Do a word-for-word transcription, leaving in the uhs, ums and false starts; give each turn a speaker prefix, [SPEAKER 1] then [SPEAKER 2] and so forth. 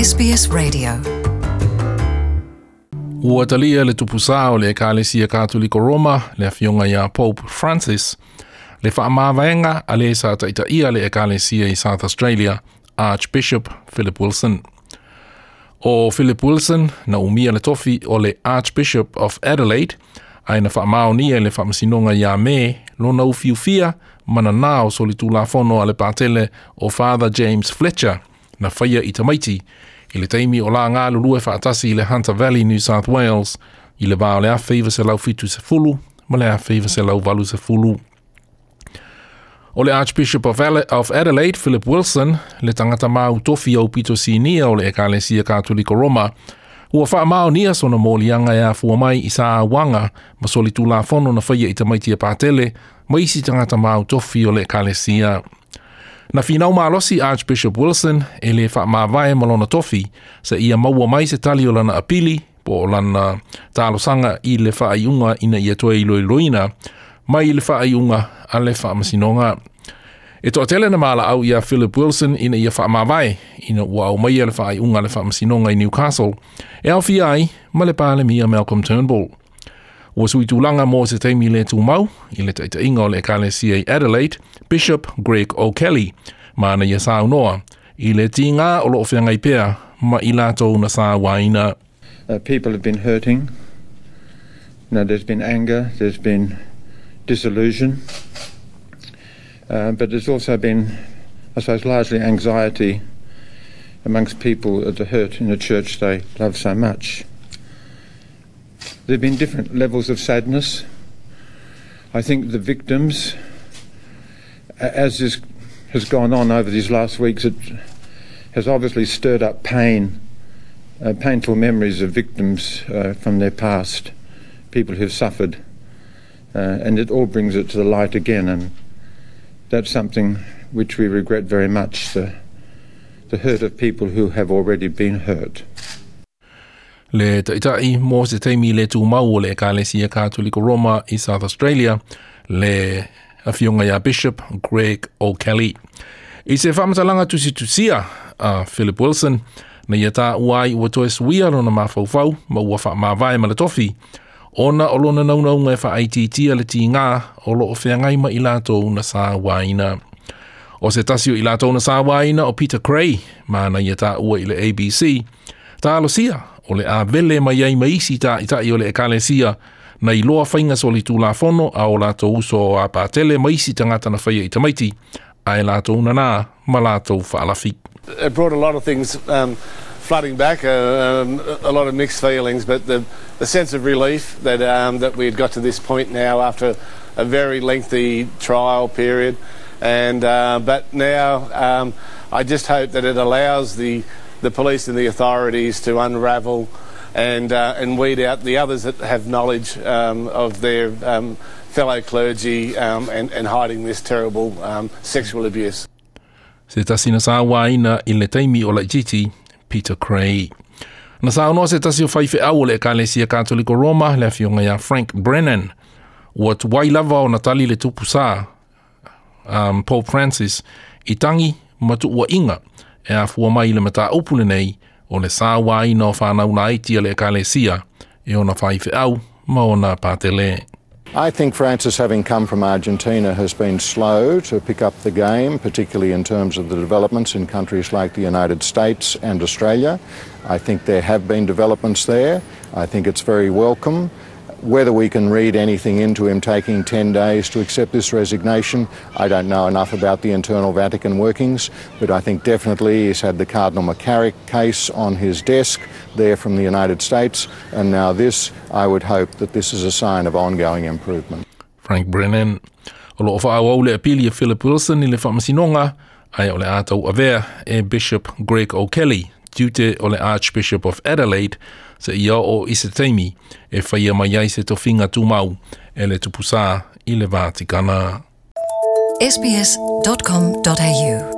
[SPEAKER 1] S B S Radio.
[SPEAKER 2] Ua talia le tupusā o le Ekalesia Katoliko Roma, le afioga ia Pope Francis, le faamavaega a le sa taitaia le Ekalesia i South Australia, Archbishop Philip Wilson. O Philip Wilson na umia le tofi o le Archbishop of Adelaide, ae na faamaonia i le faamasinoga ia Me lona ufiufia ma nanā o solitulafono a le patele o Father James Fletcher na faia i tamaiti i le taimi o la galulue faatasi i le Hunter Valley, New South Wales, i le va o le afe iva selau fitu sefulu ma le afe iva selau valu sefulu. O le Archbishop of, of Adelaide, Philip Wilson, le tagata mautofi aupito sinia o le Ekalesia Katoliko Roma, ua faamaonia sona moliaga e afua mai i sauaga ma solitulafono na faia i tamaiti a patele ma isi tagata mautofi o le Ekalesia. Na finau malosi Archbishop Wilson e le faamavae ma lona tofi seia maua mai se tali o lana apili po o lana talosaga i le faaiuga ina ia toe iloiloina mai le faaiuga a le faamasinoga. E toatele na malaau ia Philip Wilson ina ia faamavae ina ua aumaia le faaiuga a le faamasinoga i Newcastle e aofia ai ma le Palemia Malcolm Turnbull. Ua sui tulaga mo se taimi le tumau i le taitaiga o le Ekalesia i Adelaide, Bishop Greg O'Kelly, ma na ia saunoa i le tigā o loo feagai pea ma i latou na sauaina.
[SPEAKER 3] Uh, people have been hurting. Now, there's been anger, there's been disillusion, uh, but there's also been, I suppose, largely anxiety amongst people at the hurt in the church they love so much. There have been different levels of sadness. I think the victims, as this has gone on over these last weeks, it has obviously stirred up pain, uh, painful memories of victims uh, from their past, people who've suffered, uh, and it all brings it to the light again. And that's something which we regret very much, the, the hurt of people who have already been hurt.
[SPEAKER 2] Le taitai mo se taimi le tumau o le Ekalesia Katoliko Roma i South Australia, le afioga ia Bishop Greg O'Kelly. I se faamatalaga tusitusia a Philip Wilson, na ia taua ai ua toe suia lona mafaufau ma ua faamavae ma le tofi, ona o lona naunauga e faaitiitia le tigā o loo feagai ma i latou na sauaina. O se tasi o i latou na sauaina o Peter Cray, ma na ia taua i le A B C, talosia o le a vele mai ai ma isi taitai o le Ekalesia na iloa faiga solitulafono a o latou uso a patele ma isi tagata na faia i tamaiti, ae latou nanā ma latou faalafi.
[SPEAKER 4] It brought a lot of things um, flooding back, uh, um, a lot of mixed feelings, but the, the sense of relief that, um, that we had got to this point now after a very lengthy trial period. And, uh, but now um, I just hope that it allows the, the police and the authorities to unravel and, uh, and weed out the others that have knowledge um, of their um, fellow clergy um, and, and hiding this terrible um, sexual abuse.
[SPEAKER 2] Se tasi na sauaina i le taimi o laititi, Peter Cray. Na saunoa se tasi o faifeau o le Ekalesia Katoliko Roma, le afioga ia Frank Brennan. Ua tuai lava ona tali le tupusā, um, Pope Francis, i tagi ma tuuaiga e afua mai le mataupu lenei o le sauaina o fanau laiti a le Ekalesia e ona faifeau ma ona patele.
[SPEAKER 5] I think Francis, having come from Argentina, has been slow to pick up the game, particularly in terms of the developments in countries like the United States and Australia. I think there have been developments there. I think it's very welcome. Whether we can read anything into him taking ten days to accept this resignation, I don't know enough about the internal Vatican workings, but I think definitely he's had the Cardinal McCarrick case on his desk there from the United States, and now this, I would hope that this is a sign of ongoing improvement.
[SPEAKER 2] Frank Brennan. O loo faaauau le apili a Philip Wilson i le faamasinoga, ae o le a tauavea e Bishop Greg O'Kelly tiute o le Archbishop of Adelaide seia oo i se taimi e faia mai ai se tofiga tumau e le tupusā i le Vatikana.
[SPEAKER 1] S B S dot com dot A U